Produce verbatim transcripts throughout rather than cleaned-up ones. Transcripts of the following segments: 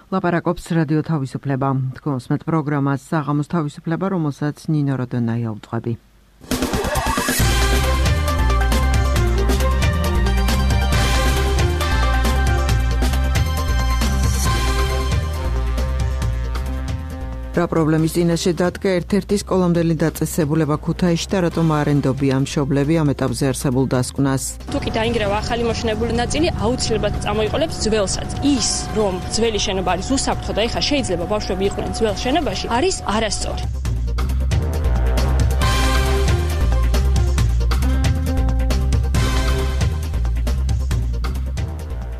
ლაპარაკობს რადიო თავისუფლება. თქვენს პროგრამას საღამოს თავისუფლება, რომელსაც ნინო როდონაია უძღვები. რა პრობლემის წინაშე დადგა ერთ-ერთი სკოლამდელი დაწესებულება ქუთაისში და რატომ არ ენდობია მშობლები ამ ეტაპზე არსებულ დასკვნას? თუკი დაინგრევა ახალი მოშენებული ნაწილი, აუცილებლად წამოიყოლებს ძველსაც. ის, რომ ძველი შენობა არის უსაფრთხო და ეხლა შეიძლება ბავშვები იყვნენ ძველ შენობაში, არის არასწორი.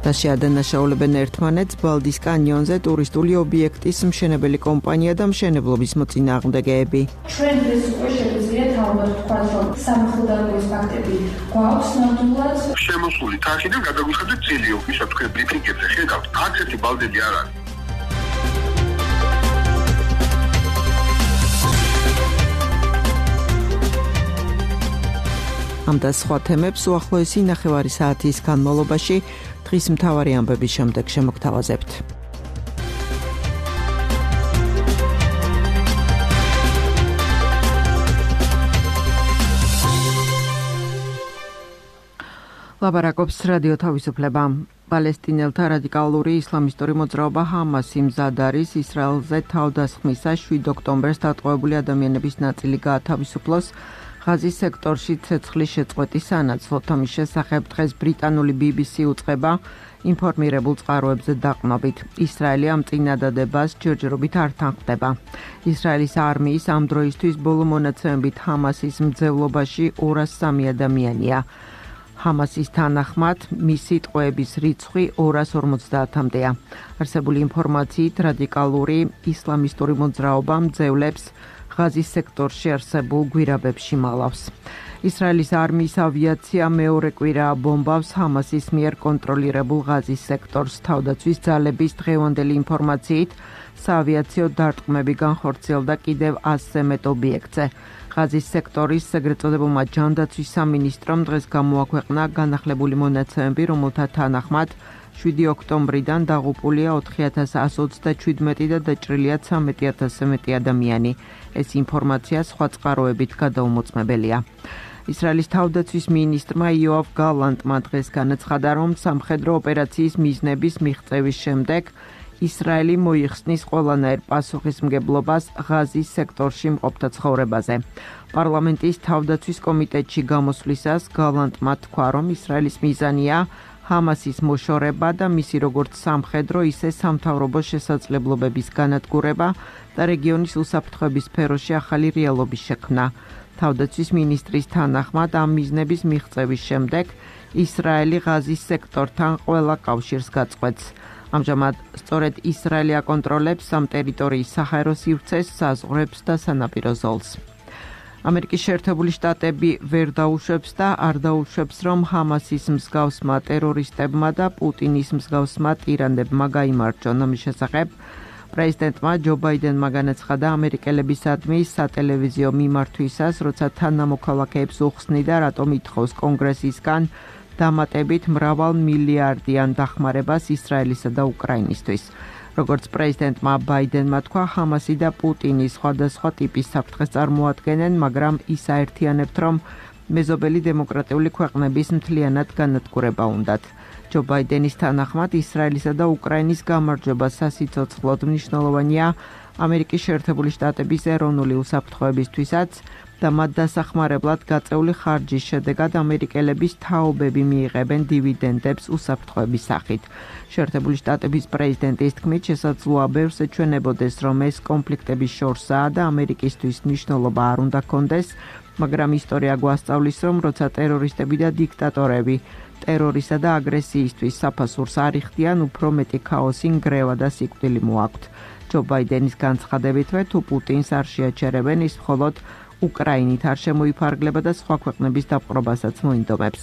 და შეადანაშაულებენ ერთმანეთს ბალდის კანიონზე ტურისტული ობიექტის მშენებელი კომპანია და მშენებლობის მოწინააღმდეგეები. ჩვენ ეს უკვე შევიძლიათ ალბათ ვთქვათ, რომ სამხელდაობის ფაქტები გვაქვს ნამდვილად. შემოსული თაღიდან გადაგვიხადეთ წილიო, ისა თქვენ ბრიფინგებზე ხედავთ, აქ ერთი ბალდები არ არის. ამ და სხვა თემებს უახლოესი ნახევარი საათის განმავლობაში დღის მთავარი ამბების შემდეგ შემოგთავაზებთ. ლაპარაკობს რადიო თავისუფლება. პალესტინელთა რადიკალური ისლამისტური მოძრაობა ჰამასი მზად არის ისრაელზე თავდასხმისას შვიდ ოქტომბერს დატყვევებული ადამიანების ნაწილი გაათავისუფლოს ღაზის სექტორში ცეცხლის შეწყვეტის სანაცვლოდ. ამის შესახებ დღეს ბრიტანული ბი ბი სი უწყება ინფორმირებულ წყაროებზე დაყრდნობით. ისრაელი ამ წინადადებას ჯერჯერობით არ თანხმდება. ისრაელის არმიის ამ დროისთვის ბოლო მონაცემებით ჰამასის მძევლობაში ორას სამი ადამიანია. ჰამასის თანახმად მისი ტყვეების რიცხვი ორას ორმოცდაათამდეა. არსებული ინფორმაციით რადიკალური ისლამისტური მოძრაობა მძევლებს ღაზის სექტორში არსებულ გვირაბებში მალავს. ისრაელის არმიის ავიაცია მეორე კვირაა ბომბავს ჰამასის მიერ კონტროლირებულ ღაზის სექტორს. თავდაცვის ძალების დღევანდელი ინფორმაციით საავიაციო დარტყმები განხორციელდა კიდევ ასზე მეტ ობიექტზე. ღაზის სექტორის ეგრეთ წოდებულმა ჯანდაცვის სამინისტრომ დღეს გამოაქვეყნა განახლებული მონაცემები, რომელთა თანახმად შვიდი ოქტომბრიდან დაღუპულია ოთხი ათას ასი ოცდაჩვიდმეტი და დაჭრილია ცხრამეტი ათასზე მეტი ადამიანი. ეს ინფორმაცია სხვა წყაროებით გადაუმოწმებელია. ისრაელის თავდაცვის მინისტრმა იოავ გალანტმა დღეს განაცხადა, რომ სამხედრო ოპერაციის მიზნების მიღწევის შემდეგ ისრაელი მოიხსნის ყველანაირ პასუხისმგებლობას ღაზის სექტორში მყოფთა ცხოვრებაზე. პარლამენტის თავდაცვის კომიტეტში გამოსვლისას გალანტმა თქვა, რომ ისრაელის მიზანია ჰამასის მოშორება და მისი როგორც სამხედრო, ისე სამთავრობო შესაძლებლობების განადგურება და რეგიონის უსაფრთხოების სფეროში ახალი რეალობის შექმნა. თავდაცვის მინისტრის თანახმად ამ მიზნების მიღწევის შემდეგ ისრაელი ღაზის სექტორთან ყველა კავშირს გაწყვეტს. ამჟამად სწორედ ისრაელი აკონტროლებს ამ ტერიტორიის საჰაერო სივრცეს, საზღვრებს და სანაპირო ზოლს. ამერიკის შეერთებული შტატები ვერ დაუშვებს და არ დაუშვებს, რომ ჰამასის მსგავსმა ტერორისტებმა და პუტინის მსგავსმა ტირანებმა გაიმარჯვონ. ამის შესახებ პრეზიდენტმა ჯო ბაიდენმა განაცხადა ამერიკელებისადმი სატელევიზიო მიმართვისას, როცა თანამოქალაქეებს უხსნიდა, რატომ ითხოვს კონგრესისგან დამატებით მრავალ მილიარდიან დახმარებას ისრაელისა და უკრაინისთვის. როგორც პრეზიდენტმა ბაიდენმა თქვა, ჰამასი და პუტინი სხვადასხვა ტიპის საფრთხეს წარმოადგენენ, მაგრამ ის აერთიანებთ, რომ მეზობელი დემოკრატიული ქვეყნების მთლიანად განადგურება უნდათ. ჯო ბაიდენის თანახმად ისრაელისა და უკრაინის გამარჯვება სასიცოცხლოდ მნიშვნელოვანია ამერიკის შეერთებული შტატების ეროვნული უსაფრთხოებისთვისაც და მათ დასახმარებლად გაწეული ხარჯის შედეგად ამერიკელების თაობები მიიღებენ დივიდენდებს უსაფრთხოების სახით. შეერთებული შტატების პრეზიდენტის თქმით, შესაძლოა ბევრს ეჩვენებოდეს, რომ ეს კონფლიქტების შორსაა და ამერიკისთვის მნიშვნელობა არ უნდა ჰქონდეს, მაგრამ ისტორია გვასწავლის, რომ როცა ტერორისტები და დიქტატორები ტერორისა და აგრესიისთვის საფასურს არ იხდიან, უფრო მეტი ქაოსი, ნგრევა და სიკვდილი მოაქვთ. ჯო ბაიდენის განცხადებითვე, თუ პუტინს არ შეაჩერებენ, ის მხოლოდ უკრაინით არ შემოიფარგლება და სხვა ქვეყნების დაპყრობასაც მოინდომებს.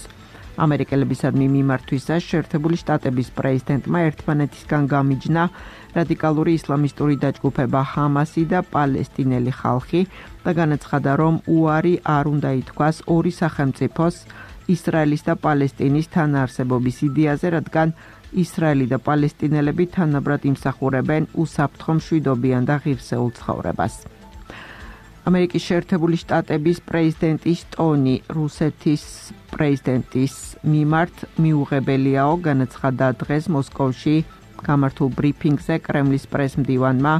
ამერიკელებისადმი მიმართვისას შეერთებული შტატების პრეზიდენტმა ერთმანეთისგან გამიჯნა რადიკალური ისლამისტური დაჯგუფება ჰამასი და პალესტინელი ხალხი და განაცხადა, რომ უარი არ უნდა ითქვას ორი სახელმწიფოს ისრაელის და პალესტინის თანაარსებობის იდეაზე, რადგან ისრაელი და პალესტინელები თანაბრად იმსახურებენ უსაფრთხო მშვიდობიან და ღირსეულ ცხოვრებას. ამერიკის შეერთებული შტატების პრეზიდენტის ტონი რუსეთის პრეზიდენტის მიმართ მიუღებელიაო, განაცხადა დღეს მოსკოვში გამართულ ბრიფინგზე კრემლის პრესმდივანმა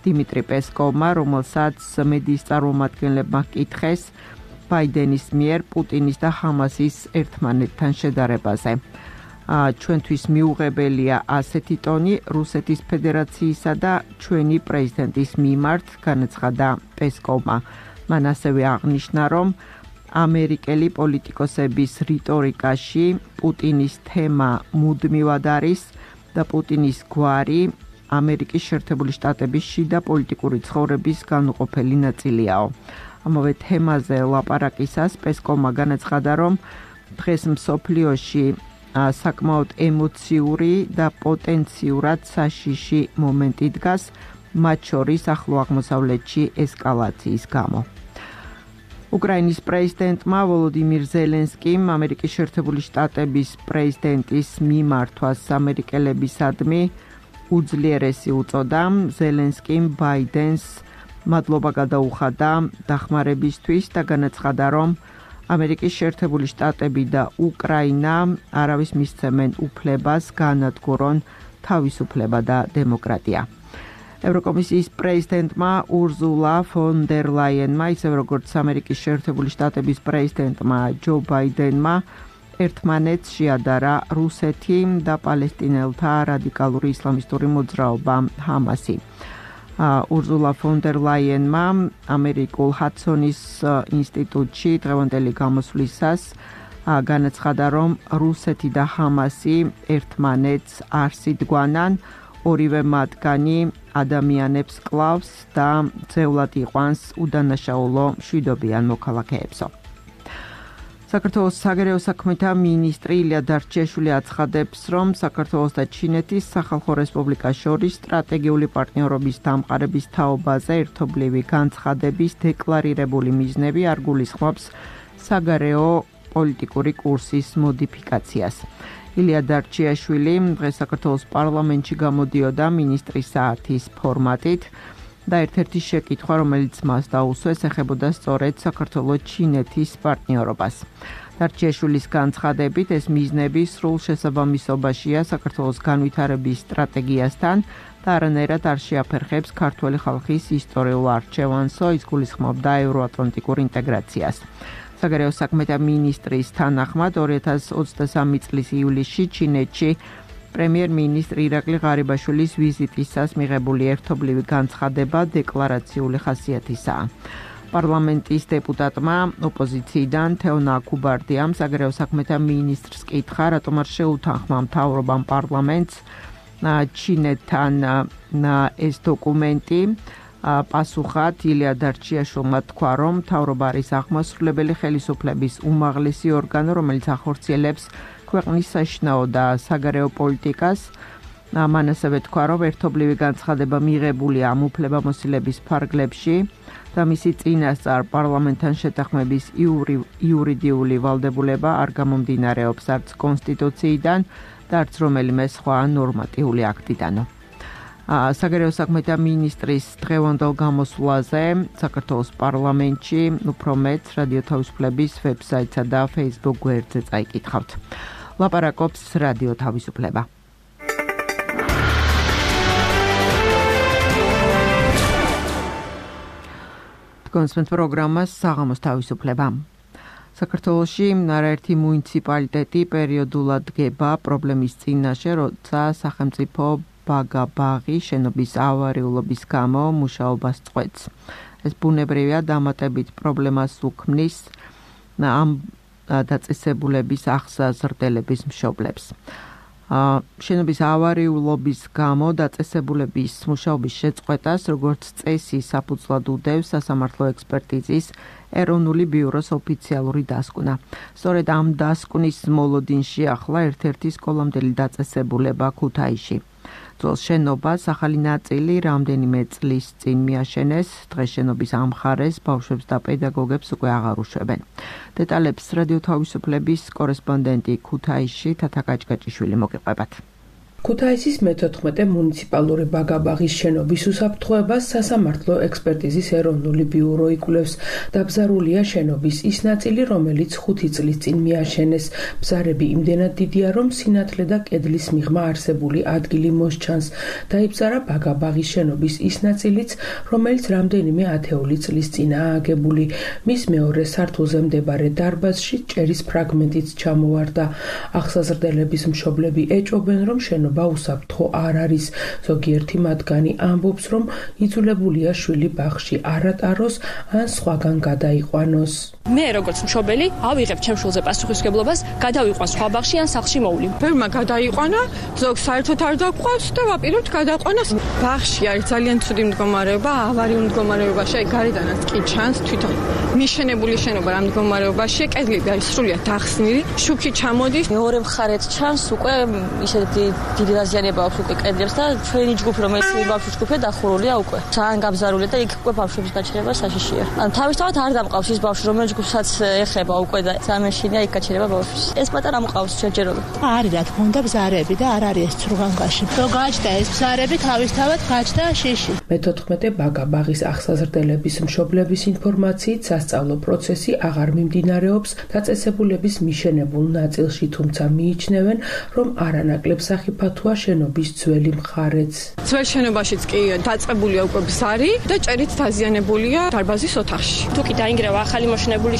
დიმიტრი პესკოვმა, რომელსაც მედიის წარმომადგენლებმა ჰკითხეს ბაიდენის მიერ პუტინის და ჰამასის ერთმანეთთან შედარებაზე. ჩვენთვის მიუღებელია ასეთი ტონი რუსეთის ფედერაციისა და ჩვენი პრეზიდენტის მიმართ, განაცხადა პესკოვმა. მან ასევე აღნიშნა, რომ ამერიკელი პოლიტიკოსების რიტორიკაში პუტინის თემა მუდმივად არის და პუტინის გვარი ამერიკის შეერთებული შტატების შიდა პოლიტიკური ცხოვრების განუყოფელი ნაწილიაო. ამავე თემაზე ლაპარაკისას პესკოვმა განაცხადა, რომ დღეს მსოფლიოში საკმაოდ ემოციური და პოტენციურად საშიში მომენტი დგას, მათ შორის ახლო აღმოსავლეთში ესკალაციის გამო. უკრაინის პრეზიდენტმა ვოლოდიმირ ზელენსკიმ ამერიკის შეერთებული შტატების პრეზიდენტის მიმართვას ამერიკელებისადმი უძლიერესი უწოდა. ზელენსკიმ ბაიდენს მადლობა გადაუხადა დახმარებისთვის და განაცხადა, რომ ამერიკის შეერთებული შტატები და უკრაინა არავის მისცემენ უფლებას განადგურონ თავისუფლება და დემოკრატია. ევროკომისიის პრეზიდენტმა ურზულა ფონ დერ ლაიენმა, ისევე როგორც ამერიკის შეერთებული შტატების პრეზიდენტმა ჯო ბაიდენმა ერთმანეთს შეადარა რუსეთი და პალესტინელთა რადიკალური ისლამისტური მოძრაობა ჰამასი. ურზულა ფონ დერ ლაიენმა ამერიკულ ჰადსონის ინსტიტუტში დღევანდელი გამოსვლისას განაცხადა, რომ რუსეთი და ჰამასი ერთმანეთს არ სიდგანან, ორივე მათგანი ადამიანებს კლავს და ძევლად იყვანს უდანაშაულო მშვიდობიან მოქალაქეებსო. საქართველოს საგარეო საქმეთა მინისტრი ილია დარჩიაშვილი აცხადებს, რომ საქართველოს და ჩინეთის სახალხო რესპუბლიკას შორის სტრატეგიული პარტნიორობის დამყარების თაობაზე ერთობლივი განცხადების დეკლარირებული მიზნები არ გულისხმობს საგარეო პოლიტიკური კურსის მოდიფიკაციას. ილია დარჩიაშვილი დღეს საქართველოს პარლამენტში გამოდიოდა მინისტრის საათის ფორმატით და ერთ-ერთი შეკითხვა, რომელიც მას დაუსვეს, ეხებოდა სწორედ საქართველოს-ჩინეთის პარტნიორობას. დარჩიაშვილის განცხადებით, ეს მიზნები სრულ შესაბამისობაშია საქართველოს განვითარების სტრატეგიასთან და არანაირად არ შეაფერხებს ქართველი ხალხის ისტორიულ არჩევანსო, ის გულისხმობდა ევროატლანტიკურ ინტეგრაციას. საგარეო საქმეთა მინისტრის თანახმად ორი ათას ოცდასამი წლის ივლისში ჩინეთში პრემიერ-მინისტრი ირაკლი ღარიბაშვილის ვიზიტისას მიღებული ერთობლივი განცხადება დეკლარაციული ხასიათისაა. პარლამენტის დეპუტატმა ოპოზიციიდან თეონა კუბარდიამ საგარეო საქმეთა მინისტრს კითხა, რატომ არ შეუთანხმა მთავრობამ პარლამენტს ჩინეთთან ეს დოკუმენტი. პასუხად ილია დარჩიაშვილმა თქვა, რომ მთავრობა არის აღმასრულებელი ხელისუფლების უმაღლესი ორგანო, რომელიც ახორციელებს ქვეყნის საშინაო და საგარეო პოლიტიკას. მან ასევე თქვა, რომ ერთობლივი განცხადება მიღებულია ამ უფლებამოსილების ფარგლებში და მისი წინასწარ პარლამენტთან შეთანხმების იურიდიული ვალდებულება არ გამომდინარეობს არც კონსტიტუციიდან და არც რომელიმე სხვა ნორმატიული აქტიდანო. საგარეო საქმეთა მინისტრის დღევანდელ გამოსვლაზე საქართველოს პარლამენტში უფრო მეტ რადიო თავისუფლების ვებსაიტსა და Facebook გვერდზე წაიკითხავთ. ლაპარაკობს რადიო თავისუფლება. კონსპენს პროგრამას საღამოს თავისუფლება. საქართველოში არაერთი მუნიციპალიტეტი პერიოდულად დგება პრობლემის წინაშე, როცა სახელმწიფო ბაგა-ბაღი შენობის ავარიულობის გამო მუშაობას წყვეტს. ეს ბუნებრივია დამატებით პრობლემას უქმნის ამ დაწესებულების აღსაზრდელების მშობლებს. შენობის ავარიულობის გამო დაწესებულების მუშაობის შეწყვეტას, როგორც წესი, საფუძვლად უდევს სასამართლო ექსპერტიზის ეროვნული ბიუროს ოფიციალური დასკვნა. სწორედ ამ დასკვნის მოლოდინში ახლა ერთ-ერთი სკოლამდელი დაწესებულება ქუთაისში. ძველ შენობას ახალი ნაწილი რამდენიმე წლის წინ მიაშენეს, დღეს შენობის ამ მხარეს ბავშვებს და პედაგოგებს უკვე აღარ უშვებენ. დეტალებს რადიო თავისუფლების კორესპონდენტი ქუთაისში თათა კაჭკაჭიშვილი მოგიყვებათ. ქუთაისის მეთოთხმეტე მუნიციპალური ბაგაბაღის შენობის უსაფრთხოებას სასამართლო ექსპერტიზის ეროვნული ბიურო იკვლევს. Დაბზარულია შენობის ის ნაწილი, რომელიც ხუთი წლის წინ მიაშენეს. ბზარები იმდენად დიდია, რომ სინათლე და კედლის მიღმა არსებული ადგილი მოსჩანს. დაიბზარა ბაგაბაღის შენობის ის ნაწილიც, რომელიც რამდენიმე ათეული წლის წინაა აგებული. მის მეორე სართულზე მდებარე დარბაზში ჭერის ფრაგმენტიც ჩამოვარდა. აღსაზრდელების მშობლები ეჭვობენ, რომ შენობა უსაფრთხო არ არის. ზოგიერთი მათგანი ამბობს, რომ იძულებულია შვილი ბაღში არ ატაროს ან სხვაგან გადაიყვანოს. მე როგორც მშობელი ავიღებ ჩემ შვილზე პასუხისმგებლობას, გადავიყვან სხვა ბაღში ან სახლში მოვლი. ბევრმა გადაიყვანა, ზოგს საერთოდ არ დაგვყავს და ვაპირებთ გადაყვანას. ბაღში არის ძალიან ცუდი მდგომარეობა, ავარიულ მდგომარეობაში, აი გარედანაც კი ჩანს თვითონ მიშენებული შენობა რა მდგომარეობაშია, კედლები არის სრულიად დახსნილი, შუქი ჩამოდის. მეორე მხარეთ ჩანს უკვე ისეთი დიდი დაზიანება აქვს უკვე კედლებს და ჩვენი ჯგუფი რომელიც ბავშვი ჯგუფია დახურულია უკვე. ძალიან გაბზარულია და იქ უკვე ბავშვების გაჩერება საშიშია. ან თავისთავად არ დამყავს ის ბავშვი რომელიც ჯგუფსაც ეხება უკვე და სამეშინია იქ გაჩერება ბავშვის. ეს პატარა მყავს შეჯერობით. არის რა თქმა უნდა ბზარები და არ არის ეს ცრუღანკაში. რო გაჩნდა ეს ბზარები თავისთავად გაჩნდა შიში. მეთოთხმეტე ბაგაბაღის აღსაზრდელების მშობლების ინფორმაციით სასწავლო პროცესი აღარ მიმდინარეობს დაწესებულების მიშენებულ ნაწილში, თუმცა მიიჩნევენ, რომ არანაკლებ სახიფათოა შენობის ძველი მხარეც. ძველ შენობაშიც კი დაწყებულია უკვე ბზარი და ჭერით დაზიანებულია დარბაზის ოთახში. თუ კი დაინგრევა ახალი მოშენებული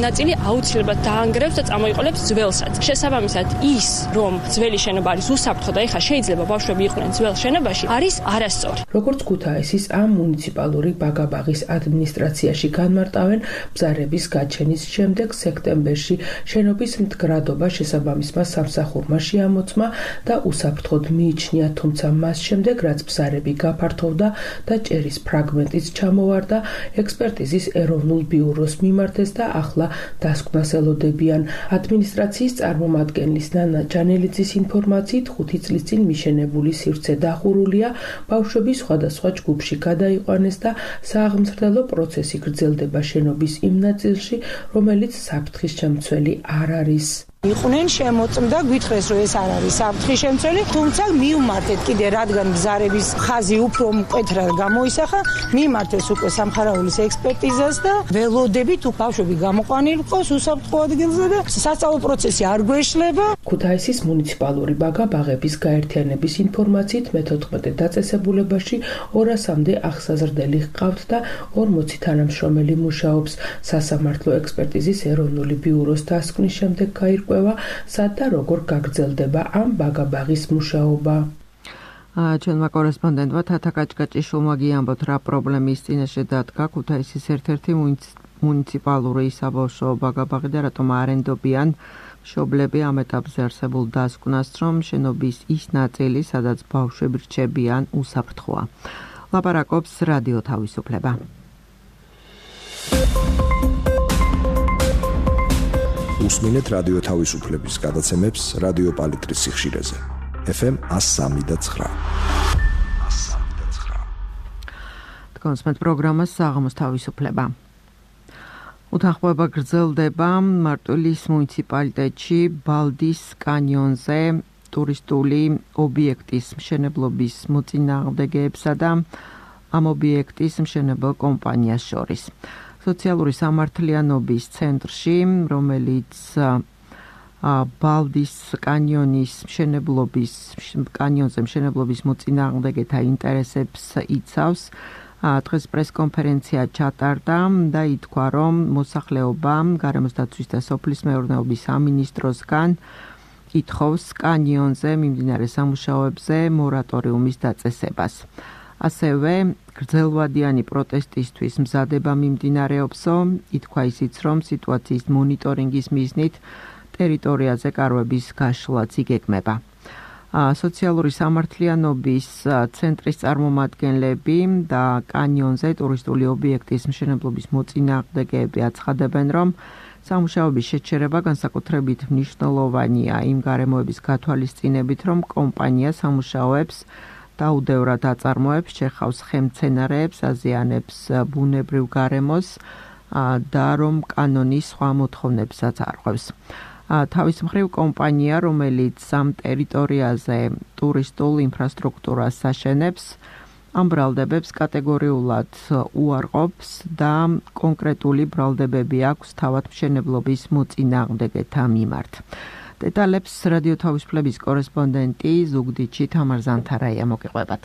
ნაწილი, აუცილებლად დაანგრევს და წამოიყოლებს ძველსაც. შესაბამისად, ის, რომ ძველი შენობა არის უსაფრთხო და ეხლა შეიძლება ბავშვები იყვნენ ძველ შენობაში, არის არასწორი. როგორც ქუთაისის ამ მუნიციპალური ბაგაბაღის ადმინისტრაციაში განმარტავენ, ბზარების გაჩენის შემდეგ სექტემბერში შენობის მდგრადობა შესაბამისმა სამსახურმა შეამოწმა და უსაფრთხოდ მიიჩნია, თუმცა მას შემდეგ, რაც ბზარები გაფართოვდა და ჭერის ფრაგმენტიც ჩამოვარდა, ექსპერტიზის ეროვნულ ბიუროს მიმართეს და ახლა დასკვნას ელოდებიან. ადმინისტრაციის წარმომადგენლის ნანა ჯანელიძის ინფორმაციით, ხუთი წლის წინ მიშენებული სივრცე დახურულია, ბავშვები სხვადასხვა ჯგუფში გადაიყვანეს და სააღმზრდელო პროცესი გრძელდება შენობის იმ ნაწილში, რომელიც საფრთხის შემცველი არ არის. იყვნენ შემოწმდა, გვითხრეს რომ ეს არ არის საფრთხის შემცველი, თუმცა მიუმართეთ კიდე რადგან ბზარების ხაზი უფრო მკვეთრად გამოისახა, მიიმართეს უკვე სამხარაულის ექსპერტიზას და ველოდებით თუ ბავშვები გამოყვანილიყოს უსაფრთხო ადგილზე და სასწავლო პროცესი არ გვეშლება. ქუთაისის მუნიციპალური ბაგაბაღების გაერთიანების ინფორმაციით მეთოთხმეტე დაწესებულებაში ორასამდე აღსაზრდელი ჰყავთ და ორმოცი თანამშრომელი მუშაობს. სასამართლო ექსპერტიზის ეროვნული ბიუროს დასკვნის შემდეგ გაირკვევა სად და როგორ გაგრძელდება ამ ბაგაბაღის მუშაობა. ჩვენმა კორესპონდენტმა თათა კაჭკაჭიშვილმა გიამბოთ, რა პრობლემის წინაშე დადგა ქუთაისის ერთ-ერთი მუნიციპალური საბავშვო ბაგაბაღი და რატომ არენდობიან მშობლები ამ ეტაპზე არსებულ დასკვნას, რომ შენობის ის ნაწილი, სადაც ბავშვები რჩებიან, უსაფრთხოა. ლაპარაკობს რადიო თავისუფლება. უსმინეთ რადიო თავისუფლების გადაცემებს რადიო პალიტრის სიხშირეზე. ეფ ემ one oh three point nine. კონსმეთ პროგრამას საღამოს თავისუფლება. უთანხმოება გრძელდება მარტვილის მუნიციპალიტეტში ბალდის კანიონზე ტურისტული ობიექტის მშენებლობის მოწინააღმდეგეებსა და ამ ობიექტის მშენებელ კომპანიას შორის. სოციალური სამართლიანობის ცენტრში, რომელიც ბალდის კანიონის მშენებლობის კანიონზე მშენებლობის მოწინააღმდეგეთა ინტერესებს იცავს, დღეს პრესკონფერენცია ჩატარდა და ითქვა, რომ მოსახლეობა გარემოს დაცვის და სოფლის მეურნეობის სამინისტროსგან ითხოვს კანიონზე მიმდინარე სამუშაოებზე მორატორიუმის დაწესებას. ასევე გრძელვადიანი პროტესტისთვის მზადება მიმდინარეობსო, ითქვა ისიც, რომ სიტუაციის მონიტორინგის მიზნით ტერიტორიაზე კარვების გაშლაც იგეგმება. სოციალური სამართლიანობის ცენტრის წარმომადგენლები და კანიონზე ტურისტული ობიექტის მშენებლობის მოწინააღმდეგეები აცხადებენ, რომ სამუშაოების შეჩერება განსაკუთრებით მნიშვნელოვანია იმ გარემოების გათვალისწინებით, რომ კომპანია სამუშაოებს დაუდევრად აწარმოებს, შეხავს ხემცენარეებს, აზიანებს ბუნებრივ გარემოს და რომ კანონის სხვა მოთხოვნებსაც არღვევს. თავის მხრივ კომპანია, რომელიც ამ ტერიტორიაზე ტურისტულ ინფრასტრუქტურას აშენებს, ამ ბრალდებებს კატეგორიულად უარყოფს და კონკრეტული ბრალდებები აქვს თავად მშენებლობის მოწინააღმდეგეთა მიმართ. დეტალებს რადიო თავისუფლების კორესპონდენტი ზუგდიდში თამარ ზანთარაია მოგიყვებათ.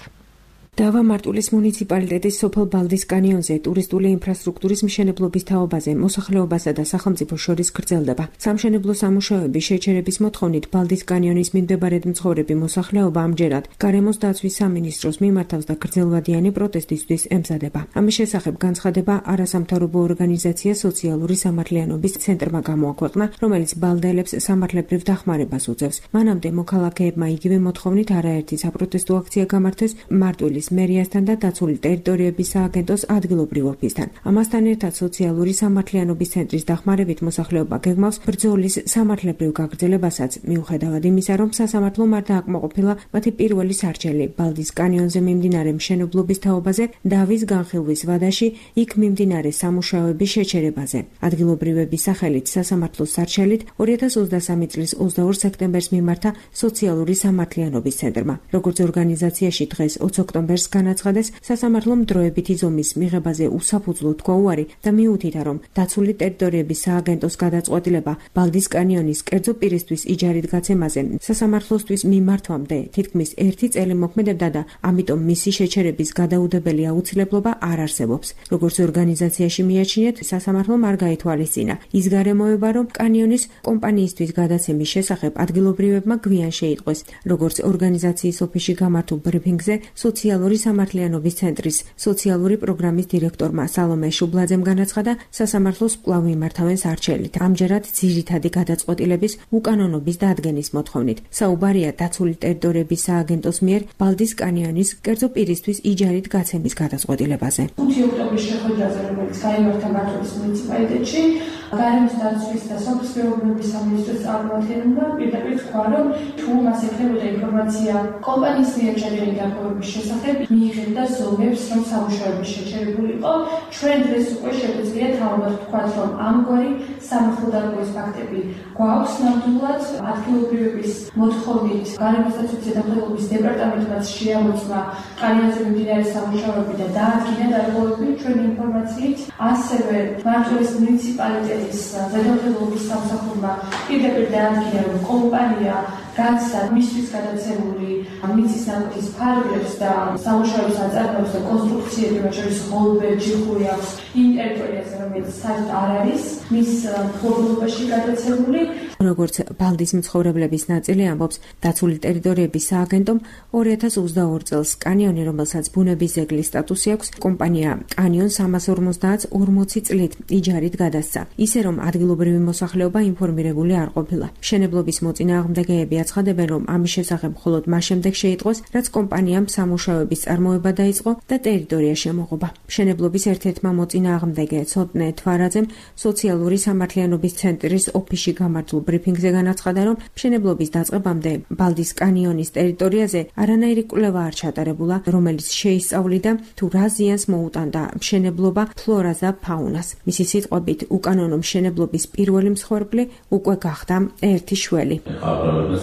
დავა მარტვილის მუნიციპალიტეტის სოფელ ბალდის კანიონზე ტურისტული ინფრასტრუქტურის მშენებლობის თაობაზე მოსახლეობასა და სახელმწიფოს შორის გრძელდება. სამშენებლო სამუშაოების შეჩერების მოთხოვნით ბალდის კანიონის მიმდებარედ მცხოვრები მოსახლეობა ამჯერად გარემოს დაცვის სამინისტროს მიმართავს და გრძელვადიანი პროტესტისთვის ემზადება. ამის შესახებ განცხადება არასამთავრობო ორგანიზაცია სოციალური სამართლიანობის ცენტრმა გამოაქვეყნა, რომელიც ბალდელებს სამართლებრივ დახმარებას უწევს. მანამდე მოქალაქეებმა იგივე მოთხოვნით არაერთი საპროტესტო აქცია გამართეს მარტვილის მერიასთან და დაცული ტერიტორიების სააგენტოს ადგილობრივ ოფისთან. ამასთან ერთად სოციალური სამართლიანობის ცენტრის დახმარებით მოსახლეობა გეგმავს ბრძოლის სამართლებრივ გაგრძელებასაც, მიუხედავად იმისა, რომ სასამართლომ არ დააკმაყოფილა მათი პირველი სარჩელი ბალდის კანიონზე მიმდინარე მშენებლობის თაობაზე დავის განხილვის ვადაში იქ მიმდინარე სამუშაოების შეჩერებაზე. ადგილობრივების სახელით სასამართლოს სარჩელით ორი ათას ოცდასამი წლის ოცდაორ სექტემბერს მიმართა სოციალური სამართლიანობის ცენტრმა. როგორც ორგანიზაციაში დღეს ოცი ოქტომბერს განაცხადეს, სასამართლომ დროებითი ზომის მიღებაზე უსაფუძვლო თქვა უარი და მიუთითა, რომ დაცული ტერიტორიების სააგენტოს გადაწყვეტილება ბალდის კანიონის კერძო პირისთვის იჯარით გაცემაზე სასამართლოსთვის მიმართვამდე თითქმის ერთი წელი მოქმედებდა და ამიტომ მისი შეჩერების გადაუდებელი აუცილებლობა არ არსებობს. როგორც ორგანიზაციაში მიაჩნიეთ, სასამართლომ არ გაითვალისწინა ის გარემოება, რომ კანიონის კომპანიისთვის გადაცემის შესახებ ადგილობრივებმა გვიან შეიტყვეს. როგორც ორგანიზაციის ოფისში გამართულ ბრიფინგზე სოციალური სამართლიანობის ცენტრის სოციალური პროგრამის დირექტორმა სალომე შუბლაძემ განაცხადა, სასამართლოს კვლავ იმართავენ სარჩელით. ამჯერად ძირითადი გადაწყვეტილების უკანონობის დადგენის მოთხოვნით. საუბარია დაცული ტერიტორიების სააგენტოს მიერ ბალდის კანიონის კერძო პირისთვის იჯარით გაცემის გადაწყვეტილებაზე. ხუთი ოქტომბრის შეხვედრაზე, რომელიც გაიმართა მარტვილის მუნიციპალიტეტში, გარემოს დაცვის და სოფლის მეურნეობის სამინისტროს წარმომადგენელმა პირდაპირ თქვა, რომ თუ მას ექნებოდა ინფორმაცია კომპანიის მიერ ჩაჯერილი დარღვევების შესახებ, მიიღებდა ზომებს, რომ სამუშაოები შეჩერებული იყო. ჩვენ დღეს უკვე შეგვიძლია თავად ვთქვათ, რომ ამგვარი სამართალდამცველობის ფაქტები გვაქვს ნამდვილად. ადგილობრივების მოთხოვნით გარემოს დაცვის ზედამხედველობის დეპარტამენტმაც შეამოწმა კანიონზე მიმდინარე სამუშაოები და დაადგინა დარღვევები ჩვენი ინფორმაციით. ასევე მარტვილის მუნიციპალიტეტის ზედამხედველობის სამსახურმა პირდაპირ დაადგინა, რომ კომპანია განცდა მისთვის გადაცემული მიწის ნაკვეთის ფარგლებს და სამუშაოების აწარმოებს და კონსტრუქციები, მათ შორის ღოლბები, ჯიხური აქვს იმ ტერიტორიაზე, რომელიც საერთოდ არ არის მის მფლობელობაში გადაცემული. როგორც ბალდის მცხოვრებლების ნაწილი ამბობს, დაცული ტერიტორიების სააგენტომ ორი ათას ოცდაორ წელს კანიონი, რომელსაც ბუნების ძეგლის სტატუსი აქვს, კომპანია კანიონს სამას ორმოცდაათს ორმოცი წლით იჯარით გადასცა, ისე რომ ადგილობრივი მოსახლეობა ინფორმირებული არ ყოფილა. მშენებლობის მოწინააღმდეგეები აცხადებენ, რომ ამის შესახებ მხოლოდ მას შემდეგ შეიტყვეს, რაც კომპანიამ სამუშაოების წარმოება დაიწყო და ტერიტორია შემოღობა. მშენებლობის ერთ-ერთმა მოწინააღმდეგე ცოტნე თვარაძემ სოციალური სამართლიანობის ცენტრის ოფისში გამართულ ბრიფინგზე განაცხადა, რომ მშენებლობის დაწყებამდე ბალდის კანიონის ტერიტორიაზე არანაირი კვლევა არ ჩატარებულა, რომელიც შეისწავლიდა თუ რა ზიანს მოუტანდა მშენებლობა ფლორას და ფაუნას. მისი სიტყვებით, უკანონო მშენებლობის პირველი მსხვერპლი უკვე გახდა ერთი შველი.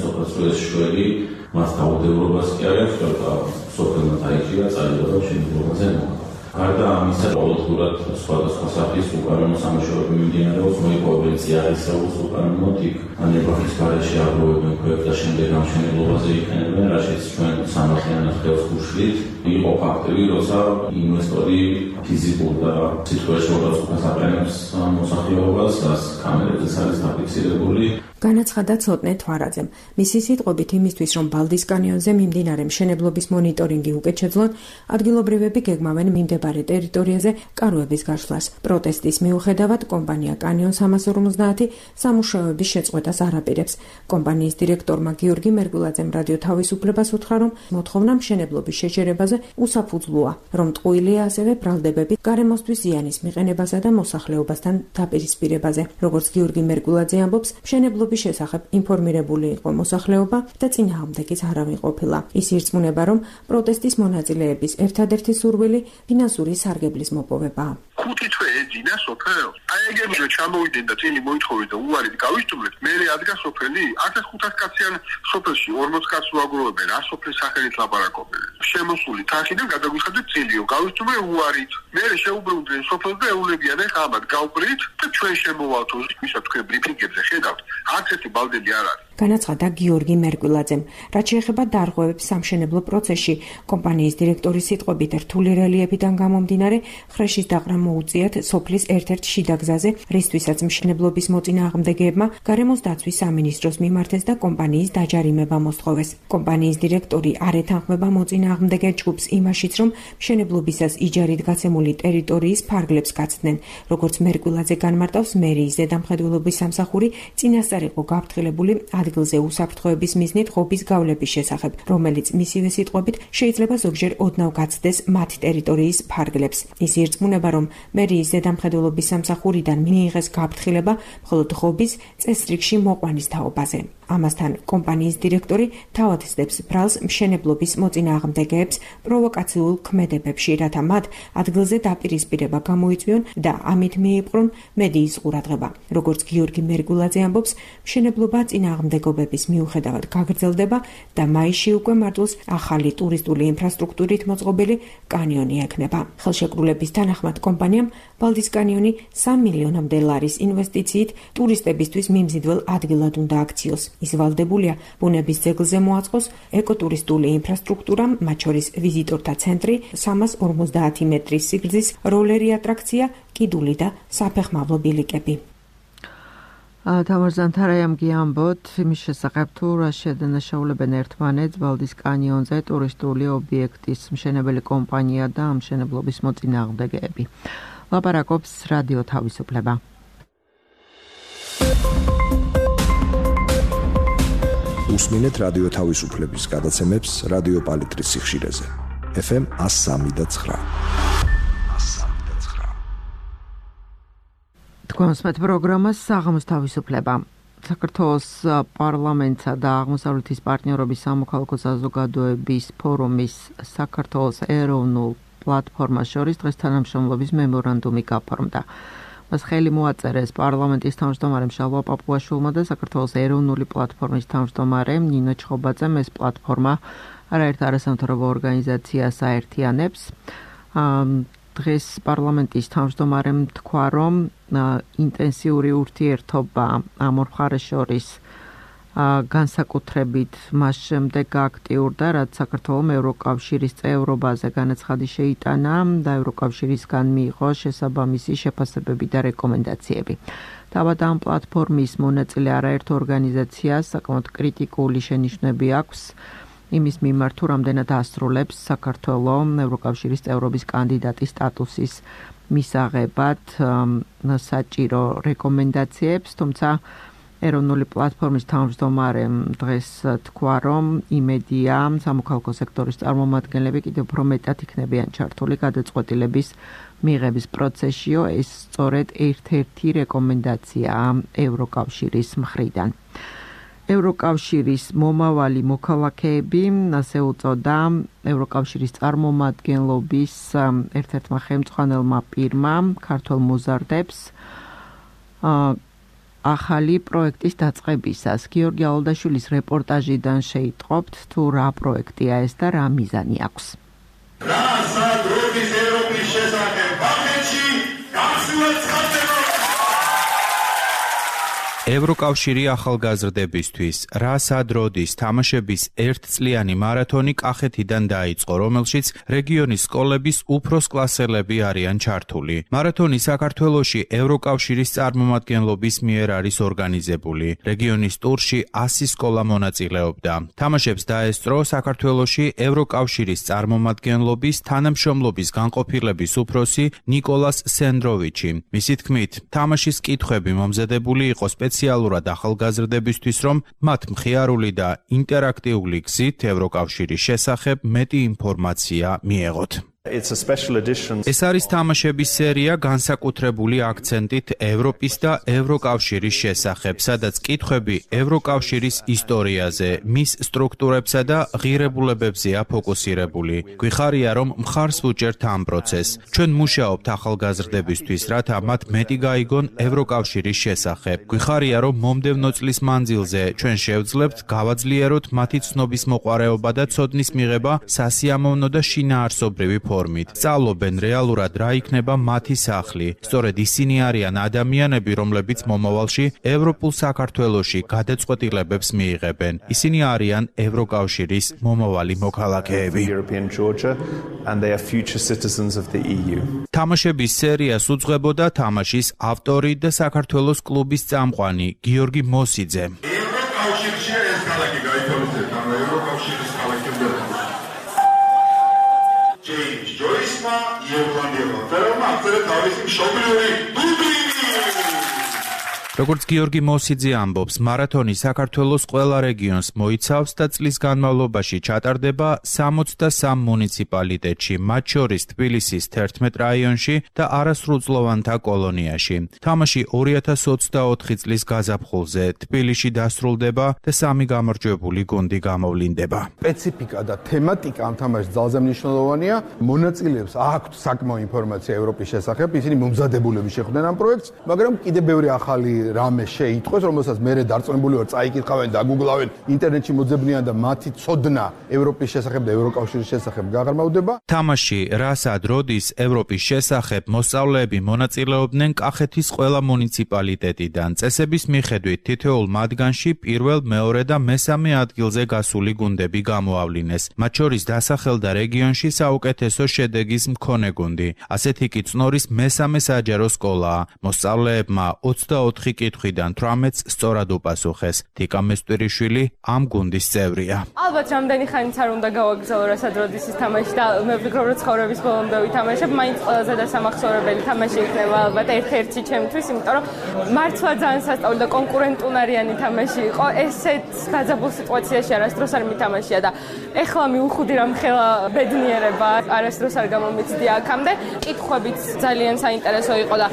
სოფლის შველი მას დაუდევრობას კი არ აქვს, და სოფელმა დაიჭირა წაიღო მშენებლობაზე მოხდა. გარდა ამისა, ყოველდღურად სხვადასხვა სახის უკანონო სამუშაოები მიმდინარეობს, მოიპოვებენ წიაღისეულს უკანონოდ იქ ანებახის გარეშე აგროვებენ ქვებს და შემდეგ ამ მშენებლობაზე იყენებენ, რაშიც ჩვენ სამართლიანად ხელს გუშლით. იყო ფაქტები, როცა ინვესტორი ფიზიკურ და სიტყვაში მოგაწყვეტს აყენებს მოსახლეობას, რაც კამერებზეც არის დაფიქსირებული. განაცხადა ცოტნე თვარაძემ. მისი სიტყვებით, იმისთვის, რომ ბალდის კანიონზე მიმდინარე მშენებლობის მონიტორინგი უკეთ შეძლონ, ადგილობრივები გეგმავენ მიმდებარე ტერიტორიაზე კაროების გაშლას. პროტესტის მიუხედავად, კომპანია კანიონ სამას ორმოცდაათი სამუშაოების შეწყვეტას არ აპირებს. კომპანიის დირექტორმა გიორგი მერგულაძემ რადიო თავისუფლებას უთხრა, რომ მოთხოვნა მშენებლობის შეჩერებაზე უსაფუძვლოა, რომ ტყუილია ასევე ბრალდებები გარემოსთვის ზიანის მიყენებასა და მოსახლეობასთან დაპირისპირებაზე. როგორც გიორგი მერგულაძე ამბობს, მშენებლობის შესახებ ინფორმირებული იყო მოსახლეობა და წინააღმდეგიც არავინ ყოფილა. ის ირწმუნება, რომ პროტესტის მონაწილეების ერთადერთი სურვილი ფინანსური სარგებლის მოპოვებაა. ხუთი თვე ეძინა სოფელს. აი ეგებია ჩამოვიდნენ და წილი მოითხოვეს და უარით გავისტუმრეთ. მე ადგა სოფელი ათას ხუთას კაციან სოფელში ორმოც კაცს უაგროვებენ, რა სოფლის სახელით ლაპარაკობენ. შემოსული თაშიდან გადაგვიხადეთ წილიო, გავისტუმრე უარით. მე შეუბრუნდნენ სოფელს და ეულებიან ეხლა ამათ გავყრით და ჩვენ შემოვალთ ვისაც თქვენ ბრიფინგებზე ხედავთ. არც ერთი ბალდები არ არის. განაცხადა გიორგი მერკვილაძემ. რაც შეეხება დარღვევებს სამშენებლო პროცესში, კომპანიის დირექტორის სიტყვებით რთული რელიეფიდან გამომდინარე, ხრეშის დაყრა მოუწიათ სოფლის ერთ-ერთ შიდა გზაზე, რისთვისაც მშენებლობის მოწინააღმდეგეებმა გარემოს დაცვის სამინისტროს მიმართეს და კომპანიის დაჯარიმება მოსთხოვეს. კომპანიის დირექტორი არ ეთანხმება მოწინააღმდეგე ჯგუფს იმაშიც, რომ მშენებლობისას იჯარით გაცემული ტერიტორიის ფარგლებს გაცდნენ. როგორც მერკვილაძე განმარტავს, მერიის ზედამხედველობის სამსახური წინასწარ იყო გაფრთხილებული ადგილზე უსაფრთხოების მიზნით ღობის გავლების შესახებ, რომელიც მისივე სიტყვებით შეიძლება ზოგჯერ ოდნავ გაცდეს მათ ტერიტორიის ფარგლებს. ის ირწმუნება, რომ მერიის ზედამხედველობის სამსახურიდან მიიღეს გაფრთხილება მხოლოდ ღობის წესრიგში მოყვანის თაობაზე. ამასთან კომპანიის დირექტორი თავად ცდებს ბრალს მშენებლობის მოწინააღმდეგეებს პროვოკაციულ ქმედებებში, რათა მათ ადგილზე დაპირისპირება გამოიწვიონ და ამით მიიპყრონ მედიის ყურადღება. როგორც გიორგი მერკვილაძე ამბობს, მშენებლობა წინააღმდეგობების მიუხედავად გაგრძელდება და მაისში უკვე მარტოს ახალი ტურისტული ინფრასტრუქტურით მოწყობილი კანიონი ექნება. ხელშეკრულების თანახმად კომპანიამ ბალდის კანიონი სამ მილიონამდე ლარის ინვესტიციით ტურისტებისთვის მიმზიდველ ადგილად უნდა აქციოს. ის ვალდებულია ბუნების ძეგლზე მოაწყოს ეკოტურისტული ინფრასტრუქტურა, მათ შორის ვიზიტორთა ცენტრი, სამას ორმოცდაათი მეტრის სიგრძის როლერი ატრაქცია, კიდული და საფეხმავლო ბილიკები. თამარ ზანთარაიამ გიამბოთ იმის შესახებ, თუ რა შედანაშაულებენ ერთმანეთს ბალდის კანიონზე ტურისტული ობიექტის მშენებელი კომპანია და მშენებლობის მოწინააღმდეგეები. ლაპარაკობს რადიო თავისუფლება. უსმინეთ რადიო თავისუფლების გადაცემებს რადიო პალიტრის სიხშირეზე. ეფ ემ one oh three და nine. თქვენსმეთ პროგრამას საღამოს თავისუფლება. საქართველოს პარლამენტსა და აღმოსავლეთის პარტნიორობის სამოქალაქო საზოგადოების ფორუმის საქართველოს ეროვნულ პლატფორმას შორის დღეს თანამშრომლობის მემორანდუმი გაფორმდა. მას ხელი მოაწერეს პარლამენტის თავმჯდომარემ შალვა პაპუაშვილმა და საქართველოს ეროვნული პლატფორმის თავმჯდომარემ ნინო ჩხობაძემ. ეს პლატფორმა არაერთ არასამთავრობო ორგანიზაციას აერთიანებს. დღეს პარლამენტის თავმჯდომარემ თქვა, რომ ინტენსიური ურთიერთობა ამ ორ მხარეს შორის განსაკუთრებით მას შემდეგ გააქტიურდა, რაც საქართველომ ევროკავშირის წევრობაზე განაცხადი შეიტანა და ევროკავშირისგან მიიღო შესაბამისი შეფასებები და რეკომენდაციები. თავად ამ პლატფორმის მონაწილე არაერთ ორგანიზაციას საკმაოდ კრიტიკული შენიშვნები აქვს იმის მიმართ, თუ რამდენად ასრულებს საქართველოს ევროკავშირის წევრობის კანდიდატის სტატუსის მისაღებად საჭირო რეკომენდაციებს, თუმცა ეროვნული პლატფორმის თავმჯდომარემ დღეს თქვა, რომ იმედია სამოქალაქო სექტორის წარმომადგენლები კიდევ უფრო მეტად იქნებიან ჩართული გადაწყვეტილების მიღების პროცესშიო, ეს სწორედ ერთ-ერთი რეკომენდაციაა ევროკავშირის მხრიდან. ევროკავშირის მომავალი მოქალაქეები, ასე უწოდა ევროკავშირის წარმომადგენლობის ერთ-ერთმა ხელმძღვანელმა პირმა ქართველ მოზარდებს ახალი პროექტის დაწყებისას. გიორგი ალოდაშვილის რეპორტაჟიდან შეიტყობთ, თუ რა პროექტია ეს და რა მიზანი აქვს. რა სადრობის ევროპის შესახებ ბახეთში გასულეთ ხდება. ევროკავშირი ახალგაზრდებისთვის რა სადროდის თამაშების ერთწლიანი მარათონი კახეთიდან დაიწყო, რომელშიც რეგიონის სკოლების უფროს კლასელები არიან ჩართული. მარათონი საქართველოში ევროკავშირის წარმომადგენლობის მიერ არის ორგანიზებული. რეგიონის ტურში ასი სკოლა მონაწილეობდა. თამაშებს დაესწრო საქართველოში ევროკავშირის წარმომადგენლობის თანამშრომლობის განყოფილების უფროსი ნიკოლას სენდროვიჩი. მისი თქმით, თამაშის კითხვები მომზადებული იყო სპეციალურად ახალგაზრდებისთვის, რომ მათ მხიარული და ინტერაქტიული გზით ევროკავშირის შესახებ მეტი ინფორმაცია მიეღოთ. ეს არის თამაშების სერია განსაკუთრებული აქცენტით ევროპის და ევროკავშირის შესახებ, სადაც კითხვები ევროკავშირის ისტორიაზე, მის სტრუქტურებსა და ღირებულებებზეა ფოკუსირებული. გვიხარია, რომ მხარს ვუჭერთ ამ პროცესს. ჩვენ მუშაობთ ახალგაზრდებისთვის, რათა მათ მეტი გაიგონ ევროკავშირის შესახებ. გვიხარია, რომ მომდევნო წლის მანძილზე ჩვენ შევძლებთ გავაძლიეროთ მათი ცნობის მოყვარეობა და ცოდნის მიღება სასიამოვნო და შინაარსობრივი ფორმით. სწავლობენ რეალურად რა იქნება მათი სახლი. სწორედ ისინი არიან ადამიანები, რომლებიც მომავალში ევროპულ საქართველოში გადაწყვეტილებებს მიიღებენ. ისინი არიან ევროკავშირის მომავალი მოქალაქეები. თამაშების სერიას უძღვებოდა თამაშის ავტორი და საქართველოს კლუბის წამყვანი გიორგი მოსიძე. ევროკავშირში ეს ქალაქი გაითვალისწინეთ, ანუ ევროკავშირის ქალაქებზე. ჯეიმს ჯოისმა ირლანდიელმა ფერმა აღწერა თავისი მშობლიური დუბლინი. როგორც გიორგი მოსიძე ამბობს, მარათონი საქართველოს ყველა რეგიონს მოიცავს და წლის განმავლობაში ჩატარდება სამოცდასამ მუნიციპალიტეტში, მათ შორის თბილისის თერთმეტ რაიონში და არასრულწლოვანთა კოლონიაში. თამაში ორი ათას ოცდაოთხი წლის გაზაფხულზე თბილისში დასრულდება და სამი გამარჯვებული გუნდი გამოვლინდება. სპეციფიკა და თემატიკა ამ თამაშის ძალზე მნიშვნელოვანია. მონაწილეებს აქვთ საკმაო ინფორმაცია ევროპის შესახებ, ისინი მომზადებულები შეხვდნენ ამ პროექტს, მაგრამ კიდევ ბევრი ახალი რამე შეიტყვეს, რომელსაც მერე დარწმუნებული ვარ წაიკითხავენ და გუგლავენ, ინტერნეტში მოძებნიან და მათი ცოდნა ევროპის შესახებ და ევროკავშირის შესახებ გაღრმავდება. თამაში რასად როდის ევროპის შესახებ მოსწავლეები მონაწილეობდნენ კახეთის ყველა მუნიციპალიტეტიდან. წესების მიხედვით თითოეულ მათგანში პირველ, მეორე და მესამე ადგილზე გასული გუნდები გამოავლინეს. მათ შორის დასახელდა რეგიონში საუკეთესო შედეგის მქონე გუნდი. ასეთი კი წნორის მესამე საჯარო სკოლაა. მოსწავლეებმა ოცდაოთხი კითხვიდან თვრამეტს სწორად უპასუხეს. თიკა მესტვირიშვილი ამ გუნდის წევრია. ალბათ რამდენი ხანიც არ უნდა გავაგზავნო რასად როდის ის თამაში და მე ვფიქრობ რომ ცხოვრების ბოლომდე ვითამაშებ, მაინც ყველაზე დასამახსოვრებელი თამაში იქნება ალბათ ერთ-ერთი ჩემთვის, იმიტომ რომ მართლა ძალიან სასწაული და კონკურენტუნარიანი თამაში იყო. ესეთ დაძაბულ სიტუაციაში არასდროს არ მითამაშია და ეხლა მიუხვდი რომ ხელა ბედნიერება არასდროს არ გამომიცდია აქამდე. კითხვებიც ძალიან საინტერესო იყო და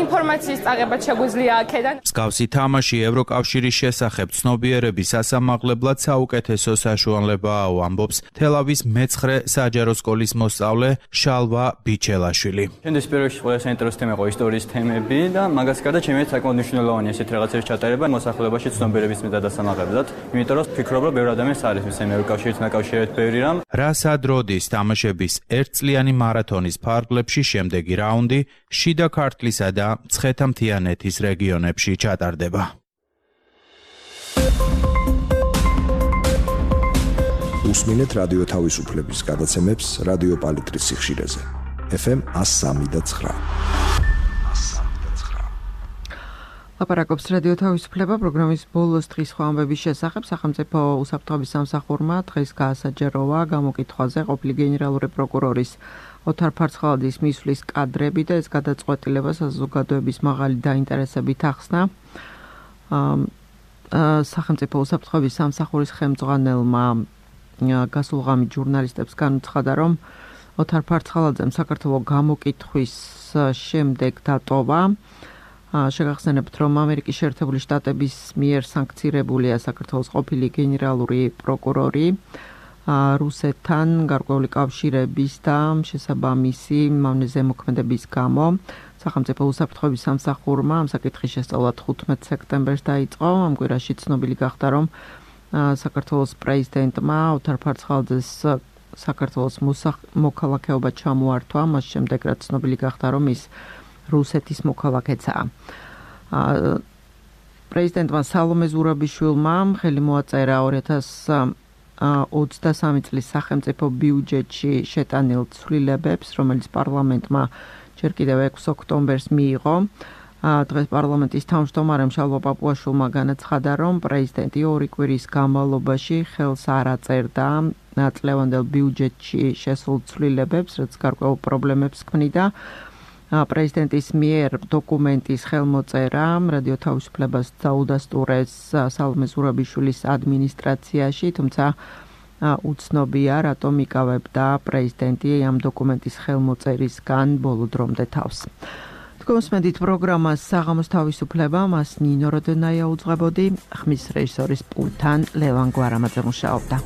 ინფორმაციის წაღებაც შეგვიძლია აქედან. მსგავსი თამაში ევროკავშირის შესახებ ცნობიერების სასამაღლებლად საუკეთესო საშუალებაა, ამბობს თელავის მეცხრე საჯარო სკოლის მოსწავლე შალვა ბიჩელაშვილი. ჩემთვის პირველში ყველა საინტერესო თემა იყო ისტორიის თემები და მაგას გარდა ჩემთვის საკმაოდ მნიშვნელოვანია ესეთ რაღაცების ჩატარება მოსახლეობაში ცნობიერების მიღება დასამაღლებლად, იმიტომ რომ ვფიქრობ, რომ ბევრი ადამიანს არის მისცემ ევროკავშირთან დაკავშირებით ბევრი რამ. რასად როდის თამაშების ერთწლიანი მარათონის ფარგლებში შემდეგი რაუნდი შიდა ქართლისა და მცხეთა-მთიანეთის რეგიონებში ჩატარდება. უსმინეთ რადიო თავისუფლების გადაცემებს რადიო პალიტრის სიხშირეზე. ეფ ემ ას სამი და ცხრა. ლაპარაკობს რადიო თავისუფლება პროგრამის ბოლოს დღის ხვამბების შესახებ. სახელმწიფო უსაფრთხოების სამსახურმა დღეს გაასაჯაროვა გამოკითხვაზე ყოფილი გენერალური პროკურორის ოთარ ფარცხალაძის მისვლის კადრები და ეს გადაწყვეტილება საზოგადოების მაღალი დაინტერესებით ახსნა. სახელმწიფო უსაფრთხოების სამსახურის ხელმძღვანელმა გასულღამი ჟურნალისტებს განუცხადა, რომ ოთარ ფარცხალაძემ საქართველოს გამოკითხვის შემდეგ დატოვა. შეგახსენებთ, რომ ამერიკის შეერთებული შტატების მიერ სანქცირებულია საქართველოს ყოფილი გენერალური პროკურორი რუსეთთან გარკვეული კავშირების და შესაბამისი მავნე ზემოქმედების გამო. სახელმწიფო უსაფრთხოების სამსახურმა ამ საკითხის შესწავლა თხუთმეტ სექტემბერს დაიწყო. ამ კვირაში ცნობილი გახდა, რომ საქართველოს პრეზიდენტმა ოთარ ფარცხალაძეს საქართველოს მოქალაქეობა ჩამოართვა, მას შემდეგ რაც ცნობილი გახდა, რომ ის რუსეთის მოქალაქეცაა. პრეზიდენტმა სალომე ზურაბიშვილმა ხელი მოაწერა ორი ათას ოცდასამი წლის სახელმწიფო ბიუჯეტში შეტანილ ცვლილებებს, რომელიც პარლამენტმა ჯერ კიდევ ექვსი ოქტომბერს მიიღო. დღეს პარლამენტის თავმჯდომარემ შალვა პაპუაშვილმა განაცხადა, რომ პრეზიდენტი ორი კვირის განმავლობაში ხელს არ აწერდა წლევანდელ ბიუჯეტში შესულ ცვლილებებს, რაც გარკვეულ პრობლემებს ქმნიდა. პრეზიდენტის მიერ დოკუმენტის ხელმოწერა რადიო თავისუფლებას დაუდასტურეს სალომე ზურაბიშვილის ადმინისტრაციაში, თუმცა უცნობია, რატომ იკავებდა პრეზიდენტი ამ დოკუმენტის ხელმოწერისგან ბოლო დრომდე თავს. თქვენს პროგრამას საღამოს თავისუფლება მას ნინო როდენაია უძღვებოდი, ხმის რეჟისორის პულტთან ლევან გვარამაძე მუშაობდა.